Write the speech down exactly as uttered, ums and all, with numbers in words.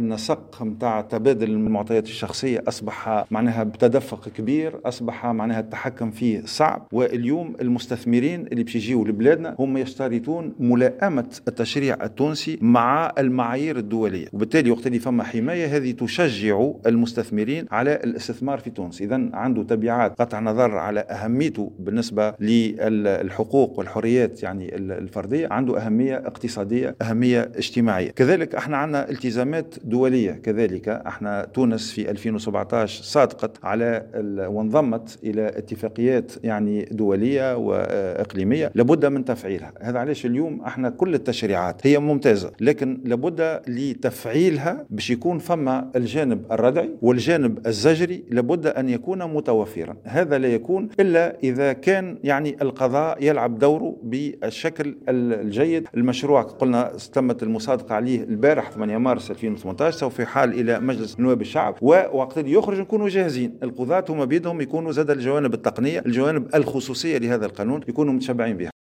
النسق نتاع تبادل المعطيات الشخصية اصبح معناها بتدفق كبير، اصبح معناها التحكم فيه صعب. واليوم المستثمرين اللي باش يجيوا لبلادنا هم يشترطون ملائمه التشريع التونسي مع المعايير الدوليه، وبالتالي وقت اللي فما حماية هذه تشجع المستثمرين على الاستثمار في تونس. اذا عنده تبعات قطع نظر على اهميته بالنسبة للحقوق والحريات يعني الفرديه، عنده اهمية اقتصادية، اهمية اجتماعية. كذلك احنا عندنا التزامات دولية، كذلك احنا تونس في ألفين وسبعطاش صادقت على وانضمت الى اتفاقيات يعني دولية واقليميه لابد من تفعيلها. هذا علاش اليوم احنا كل التشريعات هي ممتازة، لكن لابد لتفعيلها باش يكون فما الجانب الردعي والجانب الزجري لابد ان يكون متوفرا. هذا لا يكون الا اذا كان يعني القضاء يلعب دوره بالشكل الجيد. المشروع قلنا تمت المصادقة عليه البارح ثمانية مارس ألفين وثمانطاش، سوف يحال الى مجلس نواب الشعب، ووقت اللي يخرج نكونوا جاهزين. القضاة هما بيدهم يكونوا زاد الجوانب التقنية، الجوانب الخصوصية لهذا القانون يكونوا متشبعين بها.